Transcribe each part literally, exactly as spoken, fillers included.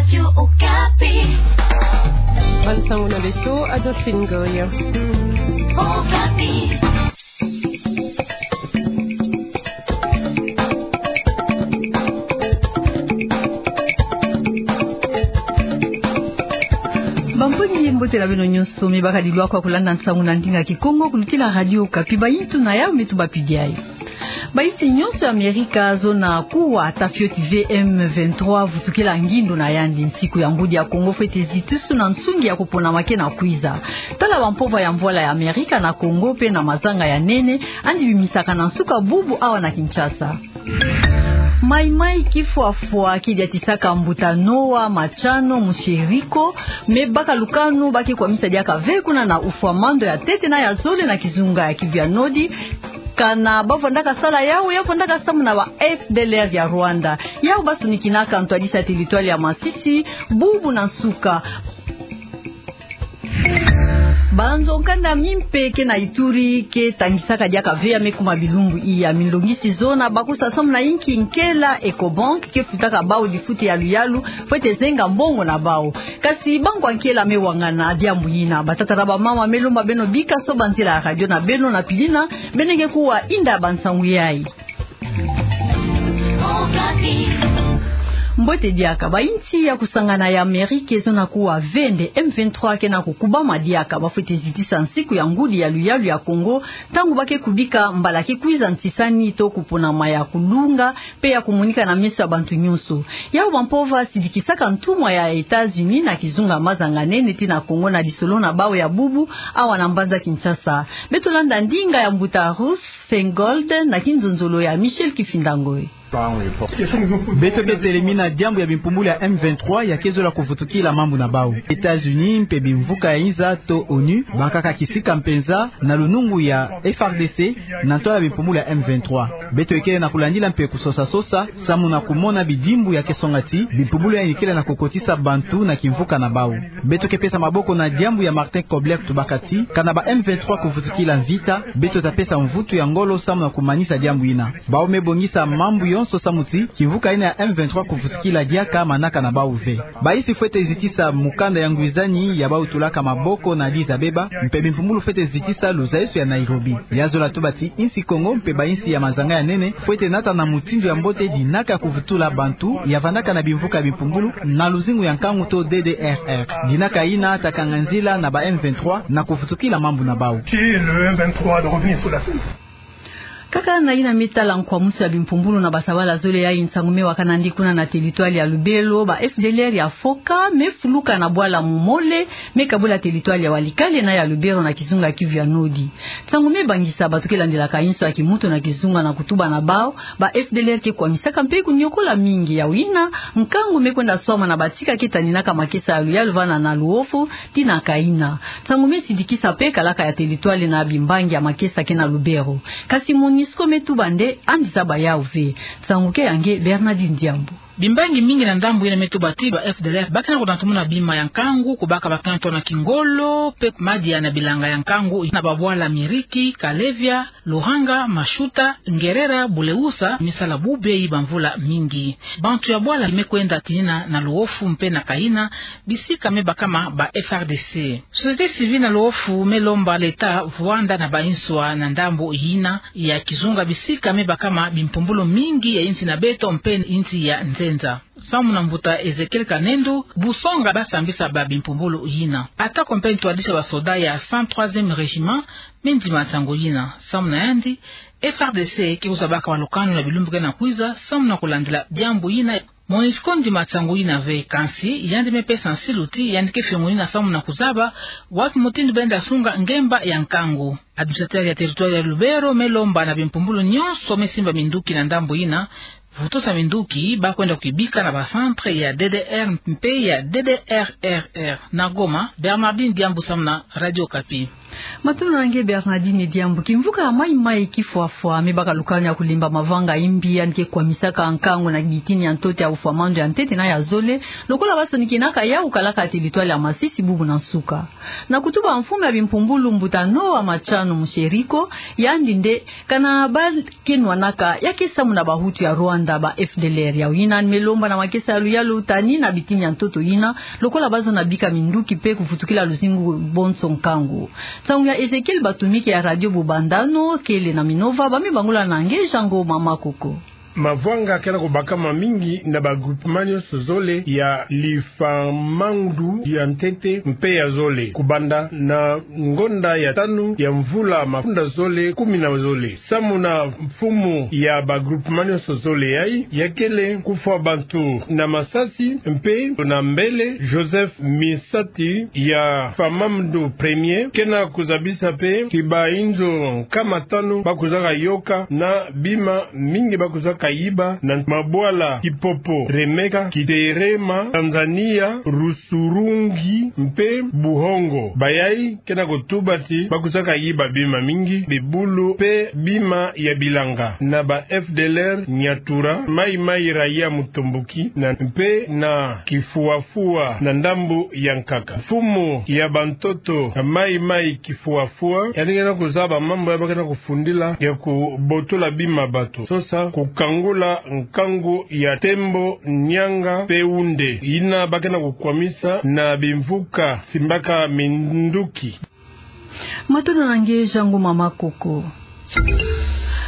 Radio Okapi. Bansango na beto, Adolphine Goya. Okapi. Bampangi, mbote na beno nyonso, me baka dilwaka kulanda nsangu na ndinga Kikongo, kulutila Radio Okapi. Bayintu na yawu me tubapidi ayi. Bayinsi nyonso ya Amerika zona kuwa ata fioti ve M vingt-trois vutukila ngindu na yandi nsiku ya ngudi ya Kongo fwete zitisu na nsungi ya kupona make na kwiza. Tala bampova ya mvwala ya Amerika na Kongo pe na mazanga ya nene, andi bimisaka na nsuka bubu awa na Kinshasa. Maimai kifwafwa kidiatisaka mbuta Noa Machano Musheriko, me baka lukanu ba ke kwamisa diaka ve kuna na ufwa mando ya tete na ya zole na kizunga ya Kivu ya Nodi. Kana ba vandaka sala yawu, ya vandaka samu na ba F D L R ya Rwanda. Yawu ba sonikinaka ntwadisi ya teritware ya Masisi, bubu na nsuka. Banzo nkanda mimpe ke na Ituri ke tangisaka diaka ve ya me kuma bilumbu iya. Milongisi zona bakusa samu na inki nkela Ecobank ke futaka bawu difuti ya luyalu, fwete zenga mbongo na bawu. Kasi bangwa nkela me wangana diambu yina. Batata na bamama, me lomba beno bika soba nzila ya radio na beno na pidina, beno nge kuwa inda ya bansangu yayi. Mbote diaka. Bayinsi ya kusangana ya Amerika zona kuwa ve nde M vingt-trois ke na kukubama diaka ba fwete zitisa nsiku ya ngudi ya luyalu ya Kongo, ntangu ba ke kubika mbala ke kwiza ntisani to kuponama ya kulunga pe ya kumonika na meso ya bantu nyonso. Yawu bampova sidikisaka ntumwa ya États-Unis na kizunga mazanga nene ti na Kongo na lisolo na bawu ya bubu awa na mbanza Kinshasa. Beto landa ndinga ya mbuta Ruth Feingold na kinzonzolo ya Michel Kifinda Ngoy. Beto ke telemina diambu ya bimpumbulu ya M vingt-trois ya ke zola kuvutukila mambu na bawu. États-Unis mpe bimvuka ya inza to ONU bakaka kisika mpenza na lunungu ya F R D C na ntwala bimpumbulu ya M vingt-trois. Beto ikele na kulandila mpe kusosa-sosa samu na kumona bidimbu ya ke songa ti bimpumbulu yayi ikele na kukotisa bantu na kimvuka na bawu. Beto ke pesa maboko na diambu ya Martin Kobler, tubaka ti kana ba M vingt-trois kuvutukila mvita, beto ta pesa mvutu ya ngolo samu na kumanisa diambu yina. Bawu me bongisa mambu yonso samu ti kimvuka yina ya M vingt-trois kuvutukila diaka manaka na bawu ve. Bayinsi fwete zitisa mukanda ya ngwizani ya bawu tulaka maboko na Addis Abeba, mpe bimpumbulu fwete zitisa luzaiso ya Nairobi. Ya zola tuba ti insi Kongo mpe bayinsi ya mazanga ya nene fwete nata na mutindu ya mbote dinaka ya kuvutula bantu ya vandaka na bimvuka ya bimpumbulu na luzingu ya nkangu to D D R R. Dinaka yina ta kanga nzila na ba M vingt-trois na kuvutukila mambu na bawu. Si le M vingt-trois de revenir sur la scène. Kaka na yina me tala nkwamusu ya bimpumbulu na basabala zole, yayi nsangu me wakana ndi kuna na teritware ya Lubero, ba F D L R ya Foka me fuluka na bwala Momole, me kabula teritware ya Walikale na ya Lubero na kizunga Kivu ya Nodi. Nsangu me bangisa bato ke landelaka inso ya kimuntu na kizunga na kutuba na bawu, ba F D L R ke kwamisaka mpe kunyokola mingi. Yawu yina nkangu me kwenda swama na batika ke taninaka makesa ya luyalu vana na Luofu ti na Kaina. Nsangu me sidikisa mpe kalaka ya teritware na bimbangi ya makesa ke na Lubero. Kasi MONUSCO me tuba nde andi zaba yawu ve. Nsangu ke ya nge Bernardine Diambu. Bimbangi mingi na ndambu yina me tuba ti ba F D L R ba ke na kunatumuna bima ya nkangu, kubaka bakento na kingolo, mpe madia na bilanga ya nkangu na babwala Miriki, Kalevya, Luranga, Mashuta, Ngerera, Buleusa, misala bubeyi bamvula mingi. Bantu ya bwala me kwenda tinina na Luofu mpe na Kaina, bisika me bakama ba F R D C. Société civile na Luofu me lomba l'État vwanda na bainso na ndambu yina ya kizunga bisika me bakama bimpumbulu mingi ya insi na beto mpe insi ya nzenza. Samu na mbuta Ezekiel Kanendo, busonga ba sambisa ba bimpumbulu yina. Atako mpe ntwadisi ya basoda ya cent troisième régiment me ndima nsangu yina. Samu na yandi, F R D C ke kwiza baka balukanu na bilumbu ke na kwiza, samu na kulandila diambu yina. MONUSCO ndima nsangu yina ve, kansi yandi me pesa nsilu ti yandi ke fiongonina samu na kuzaba wapi mutindu benda sunga ngemba ya nkangu. Administrateur ya territoire ya Lubero me lomba na bimpumbulu nyonso me simba minduki na ndambu yina, vutusa minduki, ba kwenda kuyibika na ba centre ya D D R mpe ya D D R R R. Na Goma, Bernardine Diambu samu na Radio Okapi. Matondo na nge Bernardine Diambu. Kimvuka ya Mai Mai Kifwafwa, me baka lukani ya kulemba mavanga imbi yandi ke kwamisaka nkangu na bitini ya ntoto ya ufwa mando ya ntete na ya zole, lokola basonikaka yau, kalaka territoire ya Masisi bubu na nsuka. Na kutuba mfumu ya bimpumbulu mbuta Noa Machano Musheriko, yandi nde kana ba ke nwanaka, ya ke samu na bahutu ya Rwanda, ba F D L R. Yau yina ni me lomba na makesa ya luyalu tani na bitini ya ntoto yina, lokola bazono bika minduki mpe kuvutukila luzingu bonso nkangu. Nsangu ya Ezekiel Batumike ya Radio Bubandano, kele na Minova, ba me bangula na nge Jean Ngoma Makoko. Mavanga ke na kubakama mingi na ba groupement nyonso zole ya lifwamandu ya ntete mpe ya zole, kubanda na ngonda ya tanu ya mvula mafunda zole kumi na zole. Samu na mfumu ya ba groupement nyonso zole yai, ya kele kufwa bantu na masasi mpe na mbele. Joseph Misati ya Famamdu Premier ke na kuzabisa mpe ti bainzo nkama tanu ba kuzaka yoka na bima mingi ba kuzaka yiba na mabwala Kipopo, Remeka, Kiterema, Tanzania, Rusurungi mpe Buhongo. Bayai ke na kutuba ti ba kuzaka yiba bima mingi, bibulu mpe bima ya bilanga. Na ba F D L R Nyatura, Mai Mai Raya Mutomboki, na mpe na Kifwafwa na ndambu ya nkaka. Mfumu ya bantoto ya Mai Mai Kifwafwa, yandi ke na kuzaba mambu ya ba ke na kufundila ya kubotola bima bato, sosa kukangula nkangu ya tembo, nianga mpe wunde, yina ba ke na kukwamisa na bimvuka simbaka minduki. Matondo na nge Jean Ngoma Makoko.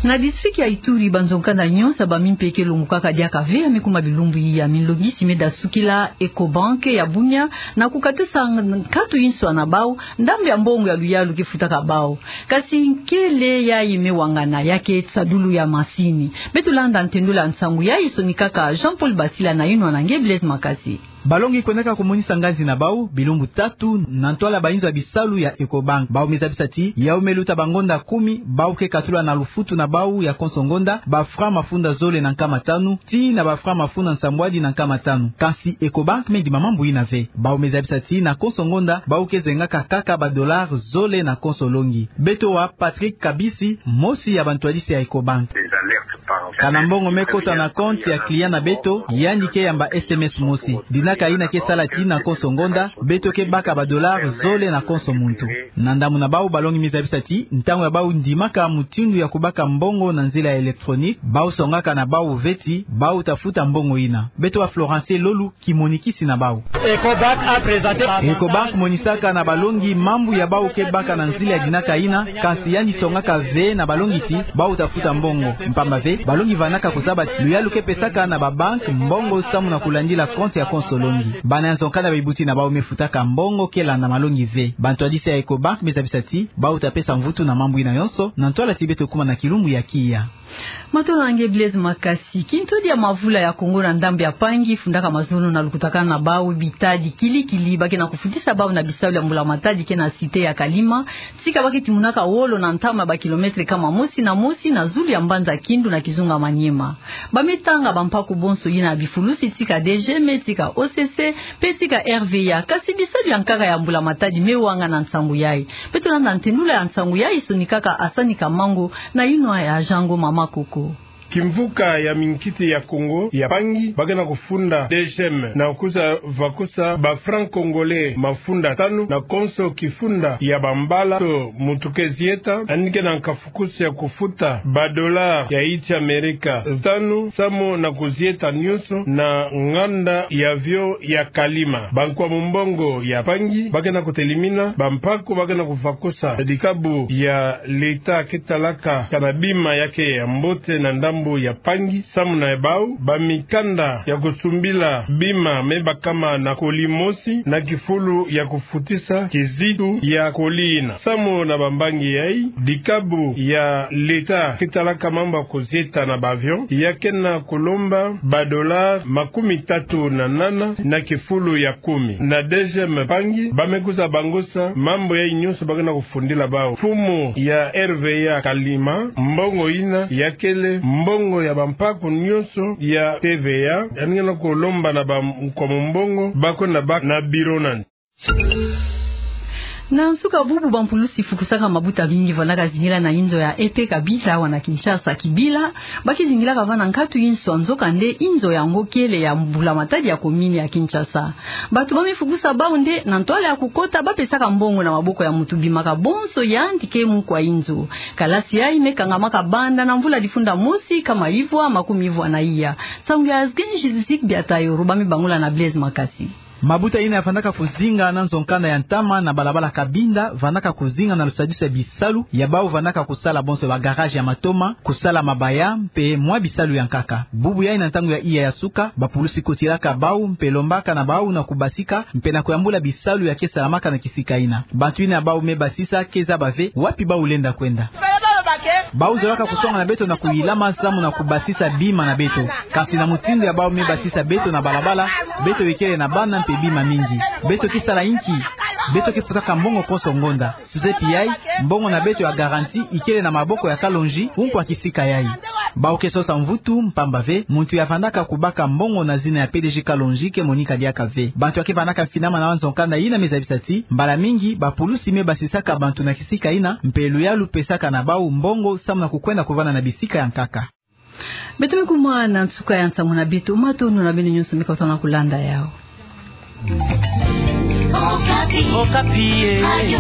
Na district ya Ituri, banzo-nkanda nyonso ba mimpeke longokaka diaka ve ya me kuma bilumbu iya. Minlongisi me dasukila Ecobank ya Bunia na kukatusa nkatu inswa na bau, ndambu ya mbongo ya luyalu ke futaka bau. Kasi nkele yai me wangana, ya ke tisadulu ya masini. Beto landa ntendula nsangu yai sonikaka Jean-Paul Basila na yinwa na nge Blaise Makasi. Balongi kwendaka kumonisa nganzi na bau bilumbu tatu na ntwala bainzo ya bisalu ya Ecobank. Bau me zabisa ti yau me luta bangonda kumi, bau ke katula na lufutu na bau ya konso ngonda ba franc mafunda zole na nkama tanu tii na ba franc mafunda nsambwadi na nkama tanu. Kasi Ecobank me ndima mambu yina ve. Bau me zabisa ti na konso ngonda bau ke zengaka kaka ba dollars zole na konso longi. Beto wa Patrick Kabisi, mosi ya bantwadisi ya Ecobank. Kana mbongo me kota na compte ya client na beto, yandi ke yamba S M S mosi. Dinaka yina ke sala ti na konso ngonda beto ke baka ba dollars zole na konso muntu. Na ndambu na bau, balongi me zabisa ti ntangu ya bau ndimaka mutindu ya kubaka mbongo na nzila ya électronique, bau songaka na bau ve ti bau ta futa mbongo yina. Beto wa Florence Lolu, kimonikisi na bau. Ecobank monisaka na balongi mambu ya bau ke baka na nzila ya dinaka yina, kasi yandi songaka ve na balongi ti bau ta futa mbongo. Mpamba ve, balongi vandaka kuzaba ti luyalu ke pesaka na ba banque mbongo samu na kulandila compte ya konso longi. Bana ya nzo-nkanda ba ibuti na bau me futaka mbongo ke landa malongi ve. Bantwadisi ya Ecobank me zabisa ti bau ta pesa mvutu na mambu yina yonso, na ntwala ti beto kuma na kilumbu ya kiya. Matondo na nge Blaise Makasi. Kintwadi ya mavula ya Kongo na ndambu ya Pangi fundaka mazono na lukutakanu na bau bitadi kili-kili ba ke na kufutisa bau na bisalu ya mbula matadi ke na cité ya Kalima, tika ba ke timunaka wolo na ntama ba kilomètre kama mosi na mosi na zulu ya mbanza Kindu na kizunga Maniema. Ba me tanga bampaku bonso yina ya bifulusi tika D G M, tika O C C, mpe tika R V A, kasi bisalu ya nkaka ya mbula matadi me wangana nsangu yai. Beto landa ntendula ya nsangu yai sonikaka Asani Kamango na yinwa ya Jean Ngoma Makoko. Kimvuka ya minkiti ya Kongo ya Pangi ba ke na kufunda D G M na kwiza vakusa ba francs congolais mafunda tanu na konso kifunda ya bambala to muntu ke zieta, yandi ke na nkafu kusi ya kufuta ba dollars ya insi Amerika tanu, samu na kuzieta nyonso na nganda ya avion ya Kalima. Bankwa mumbongo ya Pangi ba ke na kutelimina bampaku ba ke na kuvakusa dikabu ya l'État ke talaka kana bima ya ke ya mbote na ndambu ya Pangi, samu na bau ba mikanda ya kusumbila bima me bakama na colis mosi na kifulu ya kufutisa kizitu ya colis yina. Samu na bambangi yai, dikabu ya l'État ke talaka mambu ya kuzieta na ba avion ya ke na kulomba ba dollars makumi tatu na nana na kifulu ya kumi. Na D G M Pangi ba me kwiza bangusa mambu yai nyonso ba ke na kufundila bau. Mfumu ya R V A Kalima, mbongo yina ya kele mbongo ya bampaku nyonso ya T V A, yandi ke na kulomba na bankwa mumbongo ba kwenda baka na bureau na yandi. Na nsuka bubu, bampulusi fukusaka mabuta mingi vandaka zingila na inzo ya E P Kabinda awa na Kinshasa. Kibila, ba ke zingilaka vana nkatu inso, nzokande inzo yango kele ya mbula-matadi ya komini ya Kinshasa. Bato ba me fukusa bau nde, na ntwala ya kukota, ba pesaka mbongo na maboko ya mutu bimaka bonso yandi ke mukwa inzo. Kalasi yayi me kangamaka banda na mvula difunda mosi, nkama ivwa makumi ivwa na iya. Nsangu ya Azgen Jizizik Biatayoro, ba me bangula na Blaise Makasi. Mabuta yina ya vandaka kuzinga na nzo-nkanda ya ntama na balabala Kabinda vandaka kuzinga na lusadisu ya bisalu ya bau vandaka kusala bonso ba garage ya matoma, kusala mabaya, mpe mwa bisalu ya nkaka. Bubu yayi na ntangu ya iya ya suka, bapulusi kotiraka bau, mpe lombaka na bau na kubasika, mpe na kuyambula bisalu ya ke salamaka na kisika yina. Bantu yina bau me basisa ke zaba ve wapi bau lenda kwenda. Bau zolaka kusonga na beto na kuyilama samu na kubasisa bima na beto. Kasi na mutindu ya bau me basisa beto na balabala, beto ikele na bana mpe bima mingi. Beto ke sala inki? Beto ke futaka mbongo konso ngonda. Suzepi yayi, mbongo na beto ya garantie ikele na maboko ya Kalonji, nkwa kisika yayi. Bau ke sosa mvutu, mpamba ve muntu ya vandaka kubaka mbongo na zina ya P D G Kalonji ke monika diaka ve. Bantu ya ke vandaka mfinama na nzo-nkanda yina me zabisa ti, mbala mingi bapulusi me basisaka bantu na kisika yina, mpe luyalu pesaka na bau mbongo samu na kukwenda kuvanda na bisika ya nkaka. Beto me kuma na nsuka ya nsangu na beto. Matondo na beno nyonso me kotana kulanda yau. Okapi. Okapi, eh. Radio